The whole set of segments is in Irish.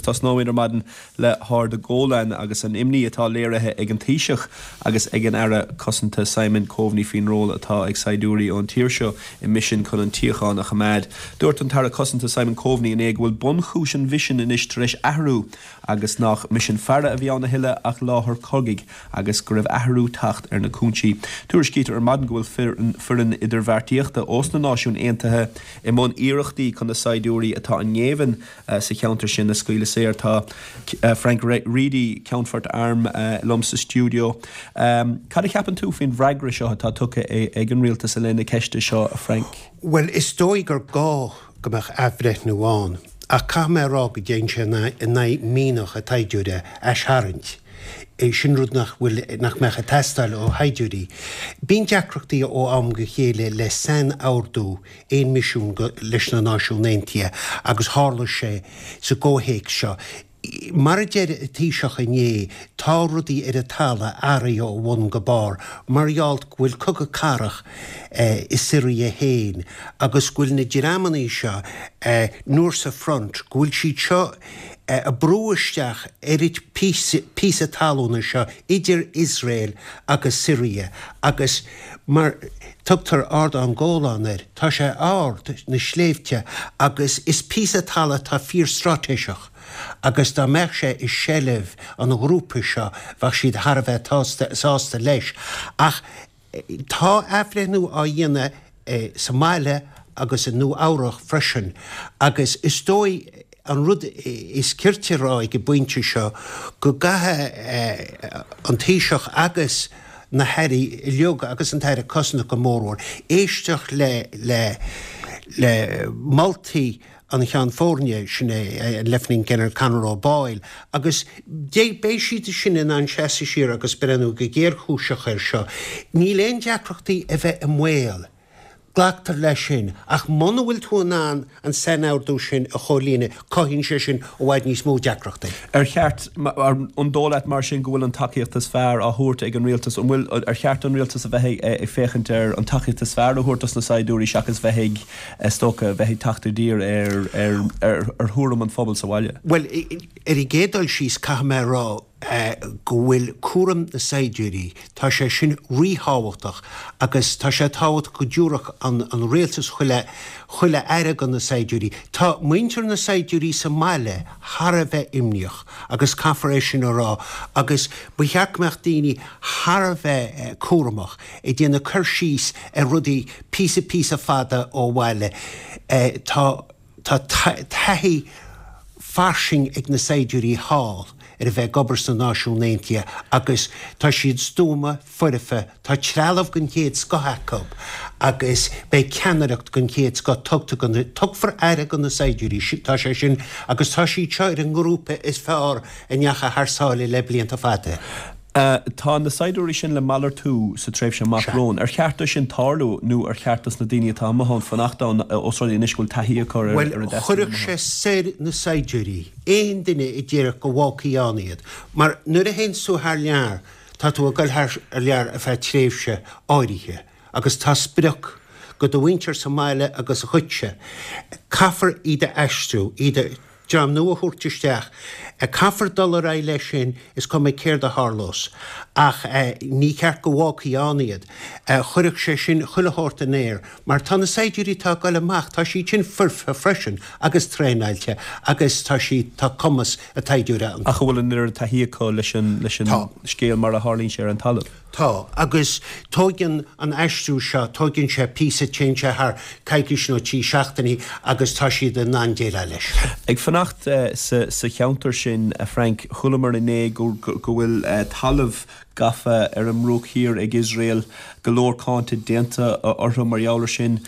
tosnóimid ar maidin le hArd an Gholáin agus an imní atá léirithe ag an Taoiseach agus ag an Aire Cosanta Simon Coveney faoin ról atá ag saighdiúirí ón tír seo i misin chun an tsíocháin a choimeád. Dúirt an tAire Cosanta Simon Coveney inné go bhfuil bunchúis an mhisin anois tar éis athrú agus nach misean faire a bhí ann a thuilleadh ach láthair chogaidh agus go raibh athrú teacht ar na cúinsí. Tuairiscítear ar maidin go bhfuil foireann idirbheartaíochta ós na Náisiúin Aontaithe i mbun iarrachtaí chun na saighdiúirí atá i ngéibheann sa cheantar sin a scaoileadh saor. Tá Frank Reidy, Ceannfort Airm, liom sa stiúideo. Cad a cheapann tú faoin bhfreagra seo atá tugtha ag an rialtas i leith na ceiste seo, a Frank? Bhuel, is dóigh gur gá go mbeadh athbhreithniú ann, ach caithfidh mé a rá go dtéann sé in aghaidh mianach an tsaighdiúra, aistarraingt. Sin rud nach bhfuil, nach mbeadh ag teastáil ó shaighdiúirí. Bíonn deacrachtaí ó am go chéile le sainordú aon misiún leis na Náisiúin Aontaithe agus tharla sé sa gcomhthéacs seo. Mar a deir an Taoiseach inné, tá rudaí ar an talamh athraithe ó bhun go barr mar gheall go bhfuil cogadh cathrach i Siria féin agus go bhfuil na dreamannaí seo, Nusra Front, go bhfuil siad seo ag brú isteach ar an píosa talúna seo idir Iosrael agus Siria agus mar tugtar Ardán Golan air, tá sé ard, na sléibhte, agus is píosa talamh atá fíor-straitéiseach agus dá mbeadh sé i seilbh an ghrúpa seo bheadh siad thar a bheith sásta leis. Ach tá athbhreithniú á dhéanamh sa mbaile agus i Nua Eabhrach freisin agus is dóigh an rud is cirte a rá ag an bpointe seo go gcaithfidh an Taoiseach agus na hairí uilig agus an tAire Cosanta go mórmhór éisteacht le le le moltaí an Cheann Foirne, sin é an Leifteanant Ginearál Conor O'Boyle, agus beidh siad sin in ann seasamh siar agus breathnú go géarchúiseach air seo. Níl aon deacrachtaí a bheith i mbaol. Glactar leis sin. Ach muna bhfuil tú in ann an sainordú sin a chomhlíonadh, cothaíonn sé sin i bhfad níos mó deacrachtaí. Ar cheart, an dóigh leat mar sin go bhfuil an tacaíocht is fearr á thabhairt ag an rialtas? An bhfuil, ar cheart don rialtas a bheith ag féachaint ar an tacaíocht is fearr a thabhairt dos na saighdiúirí seachas bheith ag, is dócha, bheith ag teacht i dtír ar, ar, ar thuairim an phobail sa bhaile? Bhuel, ar an gcéad dul síos, caithfidh mé a rá go bhfuil cúram na saighdiúirí, tá sé sin ríthábhachtach agus tá sé tábhachtach go dtabharfadh an, an rialtas chuile, chuile aire do na saighdiúirí. Tá muintir na saighdiúirí sa mbaile thar a bheith imníoch agus caithfear é sin a rá agus ba cheart go mbeadh daoine thar a bheith cúramach ag déanamh cur síos ar rudaí píosa píosa fada ó bhaile. Tá tá taithí fairsing ag na saighdiúirí thall ar a bheith ag obair sna Náisiúin Aontaithe agus tá siad stuama, foirfe, tá trealamh den chéad scoth acu agus beidh ceannaireacht den chéad scoth tugtha do na, tugfar aire do na saighdiúirí, tá sé sin agus tá siad seo ar an ngrúpa is fearr a ndeachaigh thar sáile le blianta fada. Tá na saighdiúirí sin le malartú sa tréimhse amach romhainn. Ar cheart dó sin tarlú nó ar cheart dos na daoine atá amuigh ann fanacht ann ós rud é anois go bhfuil taithí acu ar an Bhuel, chuirfeadh sé soir na saighdiúirí, aon duine a déarfadh go bhfágfaí ann iad. Mar nuair a théanns tú thar lear, tá tú ag dul thar lear ar feadh tréimhse áirithe agus tá sprioc go do mhuintir sa mbaile agus dhuitse. Caithfear iad a aistriú, iad a. dream nua a thabhairt isteach. Caithfear dul ar aghaidh leis sin, is cuma céard a tharlós. Ach ní ceart go bhfágfaí ann iad. Chuirfeadh sé sin chuile shórt in aer. Mar tá na saighdiúirí atá ag dul amach, tá siad sin foirfe freisin agus traenáilte agus tá siad, tá cumas an tsaighdiúra iontu. Ach an bhfuil an oiread taithí acu leis an scéal mar a tharlaíonn sé ar an talamh? Tá, agus tóigeann an aistriú seo, tóigeann sé píosa, téann sé thar coicís nó 3 seachtainí agus tá siad in ann déileáil leis. Ag fanacht sa cheantar sin, a Frank, chualamar inné go bhfuil talamh gafa ar an mBruach Thiar ag Iosrael, go leor cáinte déanta orthu mar gheall ar sin.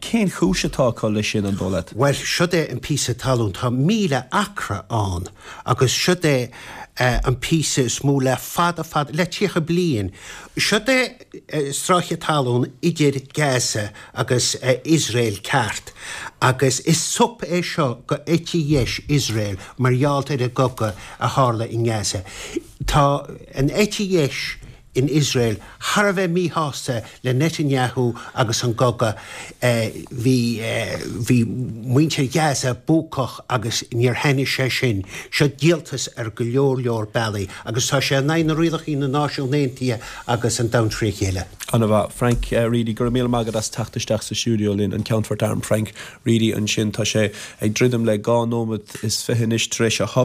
Cén chúis atá acu leis sin, an dóigh leat? Bhuel, siod é an píosa talún, tá 1,000 acra ann agus siod é an píosa is mó le fada fada, le 30 bliain. Siod é stráice talún idir Gaza agus Iosrael ceart agus is sop é seo go eite dheis Iosrael mar gheall ar an gcogadh a tharla i nGaza. Tá an eite dheis. in Iosrael thar a bheith míshásta le Netanyahu agus an gcogadh. Bhí bhí muintir Ghaza buacach agus níor thaitnigh sé sin. Seo díoltas ar go leor leor bealaí agus tá sé in aghaidh na rialacha na Náisiún Aontaithe agus an domhan tré chéile. Ana-mhaith. Frank Reidy, go raibh míle maith agat as teacht isteach sa stiúideo linn, an Ceannfort Airm Frank Reidy ansin. Tá sé ag druidim le 22 nóimeat anois tar éis a.